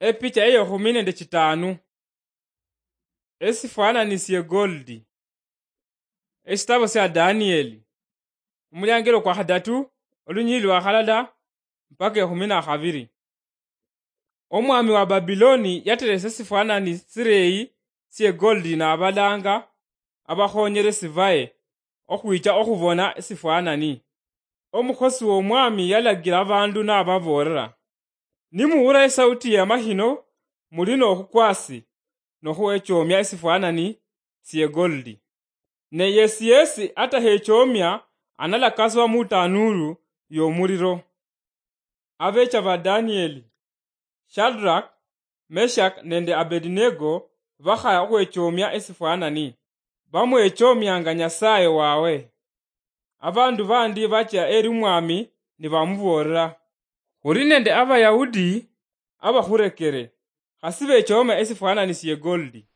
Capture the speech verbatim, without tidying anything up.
Epicha eyekhumi nende chitanu. Esifwanani sye goldi. Esitabo sya Danieli, omuliangelo kwa khadatu, olunyili lwa khalala mpaka ekhumi na khabiri. Omwami wa Babiloni yateresa esifwanani sireyi sye goldi nabalanga abakhonyeresi baye okhwicha okhubona esifwanani. Omukhosi w'omwami yalagira abandu nababoolera, "Nimuwura esauti y'amakhino, muli n'okhukwasi nokhuwechoomia esifwanani sye goldi. Ne yesi yesi atahechoomia analakasibwa mu tanuuru y'omuliro." Abecha ba Danieli, Shadrach, Meshach nende Abednego bakhaya okhwechoomia esifwanani, bamwechoomianga Nyasaye wawe. Abandu bandi bacha eri omwami nibamuboolera, "Khuli nende Abayahudi abakhurekere, khasi bechooma esifwanani sye goldi."